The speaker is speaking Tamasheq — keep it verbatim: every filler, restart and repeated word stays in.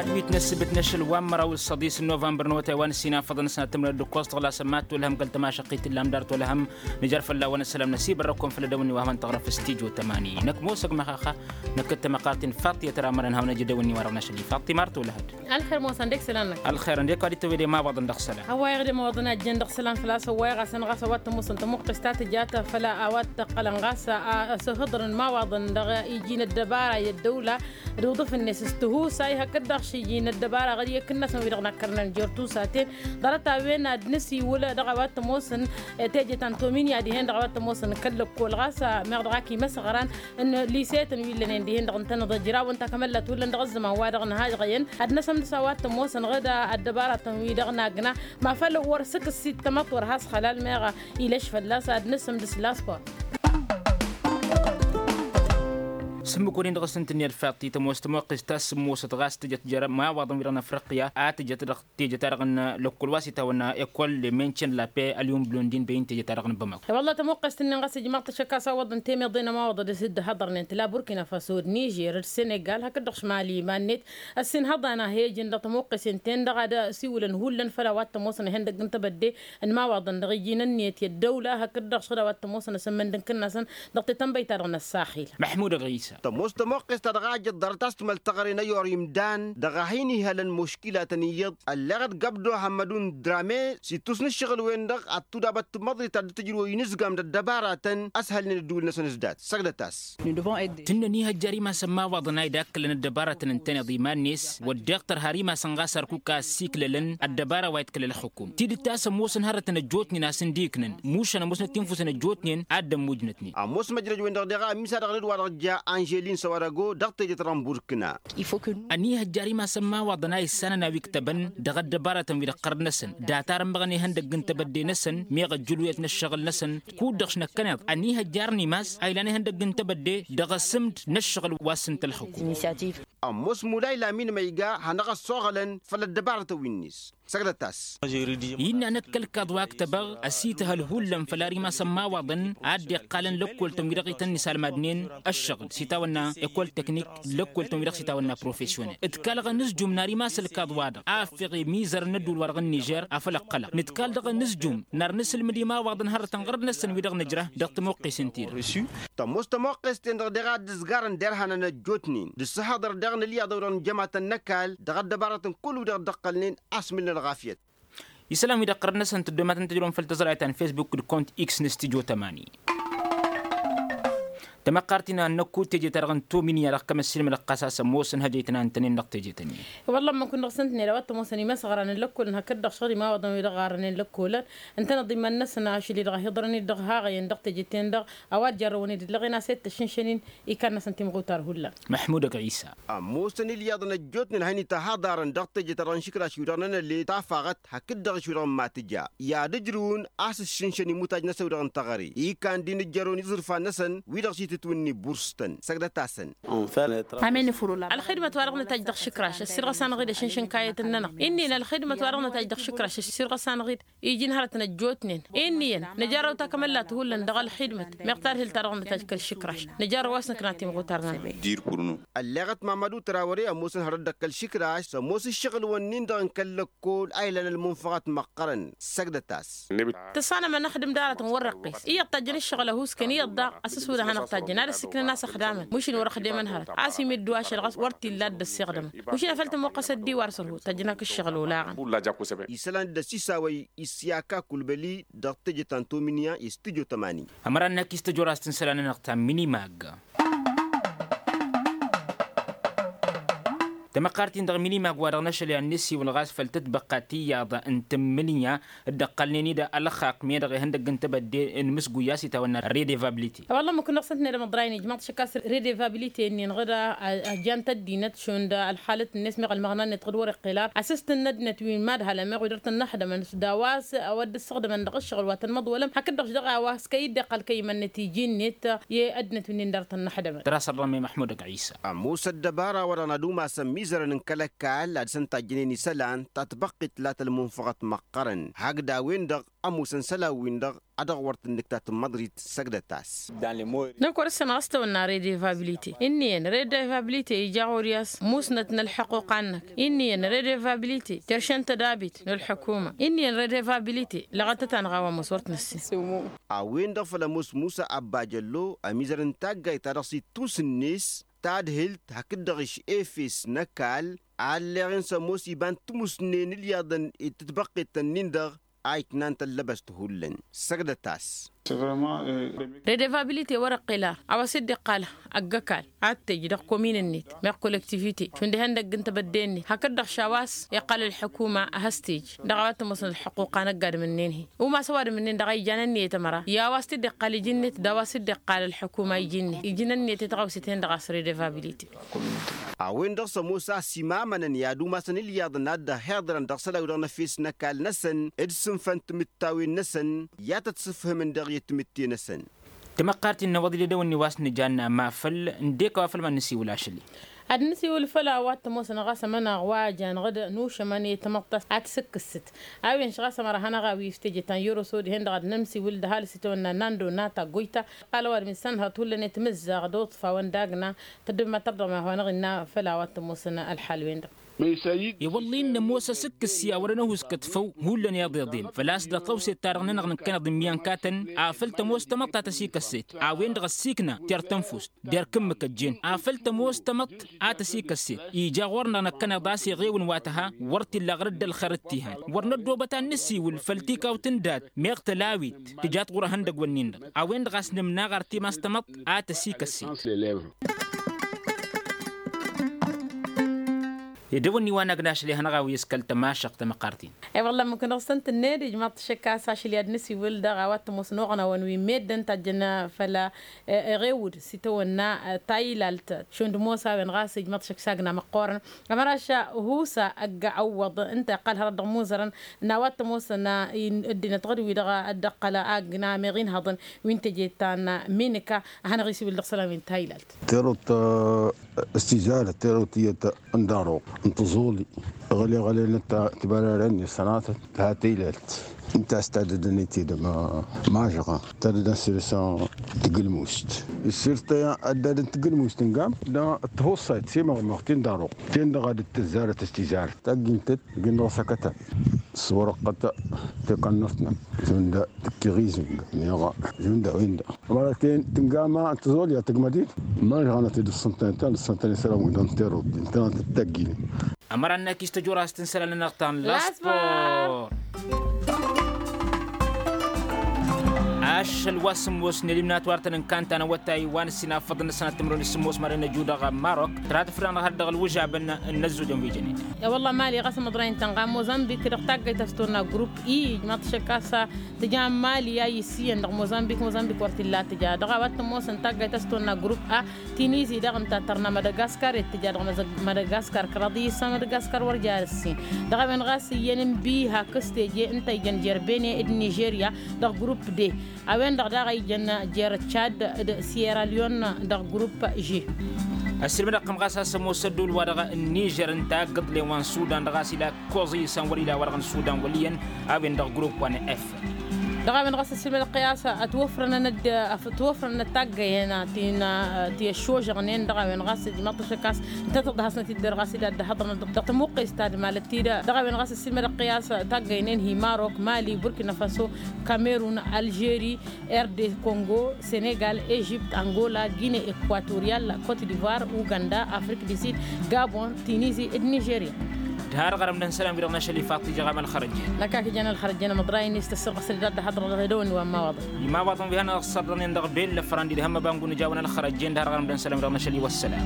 Ad-wi t-năssǝbǝt n-ašăl wa n-măraw d-săḍis n-novămbăr n-awătay wa n-ǝssin afăḍăn s-năttămnăd d-ǝkkoẓ tăɣlasăn mad-tolhăm kăl-tămašăqqit illa amdar tolhăm. Nǝjar fălla-wăn ăssălam n-asibărrăkon făll-edăwănni wa hawăn-tăɣrăf s-tijo tămani năkk mosăg măxaxa. Năkk d-tamăqart-in faṭṭiyăt ramărăn hawăn-ăj edăwănni wa dăɣ-năšăl ifaṭṭi mar tolhăd. Ălxer mosăn d-ekselăn-năk. Ălxer ăndek wa d-itwăwede imawaḍăn dăɣ-isălan. Ăwwayăɣ d-imawaḍăn a ǝjjăn dăɣ-isălan făl-a-s ăwwayăɣ a-s ănɣas a-wa t-ămoosăn tămoqqest ta tǝja ta făll-a-wa t-ăqqălăn ɣas a-s ăhhǝḍrăn imawaḍăn dăɣ-iji n-ăddăbara i-ăddăwla d-uḍǝf-net s-tihusay hakd-dăɣ šiji n-ăddăbara ɣǝd i-ekǝnnasăn wi-dăɣ n-akkărnăn jer-tusaten. Ḍarăt-a-wen ad-nǝsiwǝl dăɣ-a-wa t-ămoosăn teje ta n-tominya dihen dăɣ-a-wa t-ămoosăn kăl-lăkkol ɣas meɣ dăɣ-ak imăsɣăran n-lisetăn wi ǝllănen dihen-dăɣ ǝntăneḍ ăjrawăn takămăllat hullan dăɣ-ăzzăman-wa-dăɣ n-hažɣăyăn ad-năsămdăs a-wa t-ămoosăn ɣǝd ăddăbaratăn wi-dăɣ n-agna. Ma făl wăr sǝkǝs-i d-tamăḍt wăr has-xălal meɣ ilăš fălla-s ad-năsǝmdǝs laspor. S-ǝmmǝk-wăren dăɣ-s ǝntǝnni ălfaḍt-i tămoos tămoqqest ta s-sǝmmosăt ɣas tǝjăt jer-imawaḍăn wi-dăɣ n-afriqya a tǝjăt dăɣ-teje-ta-dăɣ n-lăkkol wa s-itawănna ekol le menšen la pe ălyum blondin băyǝn teje-ta-dăɣ n-bămăk. Wălla tămoqqest-nin ɣas ijmaḍ-t ašăk a-s awăḍăn temeḍe n-ămawaḍăn d-asǝddǝhăḍărnen tǝla burkina faso d-nižer d-senegal hakd-dăɣ šmali iman-net ăssinhăḍan a he-ǝjǝn dăɣ-tămoqqesen-ten-dăɣ ad-siwǝlăn hullan făll-a-wa t-ămoosăn ihăndăgg n-tebădde n-imawaḍăn dăɣ-iji n-ǝnniyăt i-ăddăwla hakd-dăɣ šăɣǝd a-wa t-ămoosăn asǝmmănd n-kǝnnasăn dăɣ-tetănbăyt-ta-dăɣ n-ăssaxil. Măḥmud ăɣisa. Tămoos tămoqqest ta dăɣ-ajăt ḍarăt a-s timăl teɣăre n-ăyor imdan dăɣ-a hin-ihălăn muškilatăn iyyăḍ ălleɣăt găbdo hămmădun drame s-ittus n-ǝššăɣǝl-wen-dăɣ ad-tudabăt timăḍrit ta dd-tǝjrǝw inǝzgam d-ăddăbaratăn ăshălnen ădduul-năsăn s-dat săgdăt-as. Tǝnnăn ihăjjar imasăn imawaḍăn a idakklăn ăddăbaratăn ǝntăneḍ iman-net wădden tărha ar imasăn ɣas ărkuk a ăssiklălăn ăddăbara wa iḍkǝl ălxukum tidǝt ta s-ămoosăn hărătăn ăjjootnen a-s ǝndiknăn mušan ămoosnăt tinfusăn ăjjootnen ad-dd-ămmujnătnen. Ămoos măjrăj-wen-dăɣ deɣ a ămmisadăɣ n-dd-wa-dăɣ ja anželin săwărago dăɣ-teje ta dăɣ-n burkna. Ănihăjjar imasăn imawaḍăn a issanăn a-wa iktăbăn dăɣ-ăddăbaratăn wi-dăɣ ɣărd-năsăn data ar ămmăɣăn ihăndăgg n-tebădde-năsăn meɣ ăjjǝlwet n-ăššăɣǝl-năsăn. Kud-dăɣ šnăkkăneḍ ănihăjjar n-imas a ilan ihăndăgg n-tebădde dăɣ-asǝmd n-ăššăɣǝl wa s-ǝnta ălxukum. Ămoos mulay lamin ma iga hanăɣ-ăssoɣălăn făll-ăddăbarătăn wi-net. Săgdăt-as. Innă năkk ălkaḍ wa ǝktăbăɣ ăsităhăl hullan făll-ar imasăn imawaḍăn a dd-iqqalăn lăkkoltăn wi-dăɣ ităn-nisalmadnen ăššăɣǝl s-itawănna ekol teknik d-lăkkoltăn wi-dăɣ s-itawănna profesyonel ǝdkalăɣ ănǝzjum n-ar imas ălkaḍ-wa-dăɣ a ăffeɣ imizăr n-ădduul-wa-dăɣ n-nižer. Afăl ăqqălăɣ nǝdkal dăɣ-ănǝzjum n-ar nǝsǝlmǝd imawaḍăn hărătăn ɣărăt-năsăn wi-dăɣ nǝjrăh dăɣ-tămoqqesen-ti-dăɣ. Tămoos tămoqqes-ten-dăɣ deɣ a dd-ǝzgarăn derhanăn ăjjootnen d-ǝssǝhaḍăr deɣ n-ălyaḍ a-wi-dăɣ n-jămatăn n-ăkall dăɣ-ăddăbarătăn kull wi-dăɣ dd-ǝqqălnen. Asmǝl n-ălɣafyăt. Isălan-wi-dăɣ ɣărăt-năsăn tăddomatăn tăjrăwăn făll-tăẓrayt ta n-fesbuk d-kont x n-stujo tămani. Tamăqqart-in a n-năkku teje-ta-dăɣ n-tominya dăɣ-kăm ăssiilmădăɣ ɣas a-s ămoosăn hăjăytăn a ǝntănen dăɣ-teje-tăn-in. Wălla ămmăk-win-dăɣ s-ǝntănen a-wa t-ămoosăn imăsɣăran n-lăkkolăn hakd-dăɣ šăɣ d-imawăḍăn wi-dăɣ ɣarrănen lăkkolăn ǝntăneḍ iman-năsăn ašăl-i-dăɣ a hi-iḍrăn-dd dăɣ-haɣăyăn dăɣ-teje-ten-dăɣ a-wa dd-jarrăwăn-dd ǝllăɣen a-s e-d tăššǝnšăn-in. Ikan-năsăn timɣutar hullan. Măḥmud ăgɣisa. Ămoosăn ilyaḍăn ăjjootnen a hin-itahăḍarăn dăɣ-teje-ta-dăɣ n-išǝkraš wi-dăɣ nănăle tafaɣăt hakd-dăɣ š-wi-dăɣ n-matǝja i-ad-ǝjrǝwăn a-s ǝššǝnšăn imutaj-năsăn wi-dăɣ n-teɣăre ikan-dd-inǝjjărăwăn iẓǝrfan-năsăn wi-dăɣ s-itǝtwǝnni bursǝtăn săgdăt-asăn. Ălxidmăt wa dăɣ-nǝtaj dăɣ-išǝkraš ăssirɣăs-anăɣ-dd ašǝnšǝn kayăt-nănăɣ inn'-in ălxidmăt wa dăɣ-nǝtaj dăɣ-išǝkraš ăssirɣăs-anăɣ-dd iji n-hărătăn ăjjootnen. Inn'-iyyăn nǝjarrăw takămăllat hullan dăɣ-ălxidmăt meɣ tadhǝlt-ta-dăɣ nǝtaj kăl-išǝkraš. Nǝjarrăw a-s nǝkna timɣutar-nănăɣ. Dirpurnu. Ălleɣăt mamădu tărawăre ămoosăn hărăt dăɣ-kăl-išǝkraš s-ămoos ǝššăɣǝl-wǝnnin-dăɣ n-kăl-lăkkol a ilăn ălmunfăɣăt măqqărăn. Săgdăt-as. Tǝssanăm ad-nǝxdǝm d-aratăn wăr-răqqis iyyăḍ tajjăn ǝššăɣǝl ăhuuskăn iyyăḍ daɣ ăsǝswǝdăn hanăɣ-tajjăn ad-ăssiklăn a-s ăxdamăn mušin wăr-ăxdemăn hărăt a-s imiddu ašăl ɣas wăr t-illa a dd-ăssiɣdămăn mušin afăl tămoqqăs ăddiwar sărhu tajjăn-ak ǝššăɣǝl olaɣăn. Isălan dd-ăsisawăy isyak akulbăli dăɣ-teje ta n-tominya i-stujo tămani. Ămăra n-akis tăjorast n-isălan-nănăɣ ta n-minimag. Tamăqqart-in dăɣ-minimag wa dăɣ-năšăl i-ad-nǝsiwǝl ɣas făll-tǝtbăqqa tiyyăḍ n-tǝmmǝnǝya dd-ăqqălnen-dd ălxaqq meɣ dăɣ-ihăndăgg n-tebădde n-imǝsguy a-s itawănna redevabilite. Wălla ămmăk-win-dăɣ s-ǝntăned ămăḍray-in ijmăḍ-t šăkk a-s redevabilite-nin ɣǝr ăjjan-t ăddinăt šund ălxalăt-net meɣ ălmăɣna-net ɣǝd wăr-iqqel ar asǝstǝn n-ăddinăt wi n-imadhalăn meɣ wi dăr-tăn-năxdămăn s-dawa a-s a-wa dd-ǝssăɣdămăn dăɣ-ǝššăɣǝl wa tăn-imăḍwălăm hakd-dăɣ š-dăɣ a-wa s-kăy-dd-iqqăl kăy-iman-net iji-net i-ăddinăt wi-nin dăr-tăn-năxdămăn. Tăra sărrăm i-măḥmud ăgg-ɣisa. Ămoos ăddăbara wa dăɣ-nădumasăn. izărăn n-kăl-ăkall ad-săn tajjănen isălan ta tbăqqit la tălmunfăɣăt măqqărăn hakd a-wen-dăɣ ămoosăn isălan-win-dăɣ a dăɣ-wăr tǝnnǝktat n-măḍrit. Săgdăt-as. Năkk wăr-ǝssin ɣas tawănna redevabilite inn'-iyyăn redevabilite ija ɣur-i a-s musnăt n-ălḥăquqa-năk inn'-iyyăn redevabilite teršăn tădabit n-ălḥukuma inn'-iyyăn redevabilite lăɣătăt-anăɣ a-wa ămoos wăr t-năssin. A-wen-dăɣ făll-ămoos musa ăbbajăllo ămizăr n-taggayt ta dăɣ-s ittus-net tadhǝlt hakd-dăɣ išefes n-ăkall a ălleɣen s-ămoos iba n-timusnen ilyaḍăn d-titbăqqet-nin-dăɣ a iknan tăllăbăst hullan. Săgdăt-as. Redevabilite wăr-ăqqel ar a-wa s-dd-iqqal ăgg-ăkall ad-t-ej dăɣ-komin-net meɣ kolektivite šund ihăndăgg n-tebădde-net hakd-dăɣ š-a-wa s-iqqal ălḥukuma ad-has-t-ej dăɣ-a-wa t-ămoosăn ălḥăqquqa n-ăgg-adǝm-ǝnnin-hi umas ăwadǝm-ǝnnin-dăɣ a ijan ǝnniyăt ămăra i-a-wa s-t-dd-iqqal iji-net d-a-wa s-dd-iqqal ălḥukuma iji-net iji n-ǝnniyăt i-taɣawse-ten-dăɣ a-s redevabilite. A-wen-dăɣ s-ămoos a-s imamănăn i-ad-umasăn ilyaḍăn ad-dd-ăhhiḍărăn dăɣ-isălan-wi-dăɣ n-efes n-ăkall-năsăn d-sǝnfăn timǝttawen-năsăn i-ad-tăt-sǝfhǝmăn dăɣ-i ătmǝtte-năsăn. Tamăqqart-in n-awăḍ-dd edăwănni wa s-nǝjanna ma făl n-dek a-wa făl ma n-nǝsiwǝl ašăl-i. Ad-nǝsiwǝl făll-a-wa t-ămoosăn ɣas ămănaɣ wa jan ɣǝd nušămăn i-tamăḍt a tǝsǝkkǝsǝt a-wen š-ɣas ămăra hanăɣ-a-wi s-teje ta n-yoroso dihen-dăɣ ad-nǝmsiwǝl d-ăhalǝs itawănna nando n-a taggojt ta. Iqqal ăwadǝm isănhăḍ hullan i-tamǝzzaɣ d-oḍfa wa n-dagna tăddǝb ma tărdăɣ ma hawăn-ăɣ innă făll-a-wa t-ămoosăn ălḥal-wen-dăɣ. I-wălla-i n-ămoos asǝkkǝs i-a wărăn ăhuuskăt făw hullan iḍeḍen făl-a-s dăɣ-tăwset-ta-dăɣ-nănăɣ nǝkkăneḍ n-iyyăn katăn afăl tămoos tamăḍt a tăsikăsset a-wen-dăɣ ăssiikna ter-tănfust der kǝmmǝk ăjjeen afăl tămoos tamăḍt a tăsikăsset ija ɣur-năɣ năkkăneḍ a-s iɣewǝn wa tăha wăr t-illa ɣăr dd-ălxer d-tihan wăr năddoobăt ad-nǝsiwǝl făll-tikawt n-dat meɣ tălawit tǝjat ɣur-ehăndăgg-wǝnnin-dăɣ a-wen-dăɣ a-s nǝmnaɣ ar timas tamăḍt a tăsikăsset. Edăwănni wa n-agnašăl i-hanăɣ-awi s-kăl-tămašăɣt tamăqqart-in. E-wălla ǝmmǝk-năɣ s-tăn-tǝnned ijmaḍ-t ašăk a-s ašăl i-ad-nǝsiwǝl dăɣ-a-wa t-ămoosăn oɣnawăn wi n-meddǝn tajjăn făll-a eɣewǝd s-itawănna taylalt šund ămoos a-wen ɣas ijmaḍ-t ašăk s-agna măqqoorăn. Ămăraš husa ăgg-awwăḍ ǝnta iqqal hărăt dăɣ-imuzărăn n-a-wa t-ămoosăn ăddinăt ɣǝd-wi-dăɣ a dd-ăqqăl agna meɣ inhăḍăn wi n-teje ta n-minǝka a hanăɣ-isiwǝl dăɣ-isălan wi n-taylalt. Terăwt s-tizarăt terăwt iyyăt n-daruɣ n-tăẓoli ɣăle ɣăle n-tibărarăn i-sănatăt. Tăha taylalt ǝnta a-s tadădăn i-tidăm mažăɣa tadădăn săr-s tǝgǝlmust. Săr-s tăya ăddadăn tǝgǝlmust n-gam dăɣ-tihusayt s-imăɣmăɣ ti n-daruɣ ti n-dăɣ a dd-tǝzzarăt s-tizarăt taggintăt. Gin-dăɣ s-akătăn s-wărăqqăt tekănnăt-năɣ zund tǝkkiɣ izǝng meɣ zund a-wen-dăɣ. Ămăra ten tǝngama n-tăẓolya tăgmădit. Mănăɣ hanăt-dd ǝssăntăn ǝnta n-ǝssăntăn isălan-wi-dăɣ n-terut ǝnta n-tăgginen. Ămăra n-akis tăjorast n-isălan-nănăɣ ta n-laspor. Ašăl wa s-ămoosnen imnat wa ărtăn n-kantan awătay wa n-ǝssin afăḍăn n-ăssanăt timǝrwen s-ămoos mad-enăju dăɣ-marok tăra tǝfrănăɣ har dăɣ-ălwǝžabăn n-ăzzojăn wi jănen. E-wălla mali ɣas ămăḍrăy n-tănɣa ămoos ănbik dăɣ-taggayt a-s tăwănna grupp i ijmaḍ-t ašăk a-s tǝja n-mali a issiyăn dăɣ-mozambik mozambik wăr t-illa tǝja dăɣ-a-wa t-ămoosăn taggayt a-s tăwănna grupp a. Tinizi daɣ ǝnta tărna madagaskar i-tǝja dăɣ-madagaskar kăraḍ i-issa madagaskar wăr ja ăssin. Dăɣ-a-wen ɣas iyyăn n-biha kăs teje ǝnta ijăn jer-bene d-nižerya dăɣ-grupp de. A-wen-dăɣ daɣ a ijăn jer-tšad d-sierra leon dăɣ-grupp ži. Ăssilmădăɣ-tăm ɣas a-s ămoos ădduul-wa-dăɣ n-nižer ǝnta a ǝggǝḍlen wa n-sudan dăɣ-a-s ila koẓ i-isan wăr-ila wa-dăɣ n-sudan wăl' iyyăn. A-wen dăɣ-grupp wa n-f. Dăɣ-a-wen ɣas ăssilmădăɣ-t i-a-s ătwăfrănăn ădd ătwăfrănăn ăttaggayen ti n-ti ăššožăɣnen dăɣ-a-wen ɣas ijmaḍ-t ašăk a-s ǝnta tăḍhăsnăt-dd dăr-ɣas ila dd-ăhhăḍrănăt dăɣ-tămuqqes ta d-malăt-ti-dăɣ. Dăɣ-a-wen ɣas ăssilmădăɣ-t i-a-s taggaynen-hi marok mali burkina faso kamerun alžeri, rd kongo, senegal, ežipt, angola, gine, ekwatoriyal, kot divoir, uganda, afrik di sid, gabon, tinizi, d-nižerya. Tǝharăɣ arăm d-ănn isălan-wi-dăɣ n-ašăl ifaḍ tijăɣam ălxărăjjen. Năkk a kǝjăn ălxărăjjen ămăḍrayăn-i s-tăssărɣăsăl i-dăɣ d-hăḍrăɣ dăɣ-edăwănni wa n-imawaḍăn. Imawaḍăn wi hanăɣ-ăssărrănen dăɣ-bella fărandi d-hăm ăbangǝw n-ijawăn ălxărăjjen d-harăɣ arăm d-ănn isălan-wi-dăɣ n-ašăl i-wăssălam.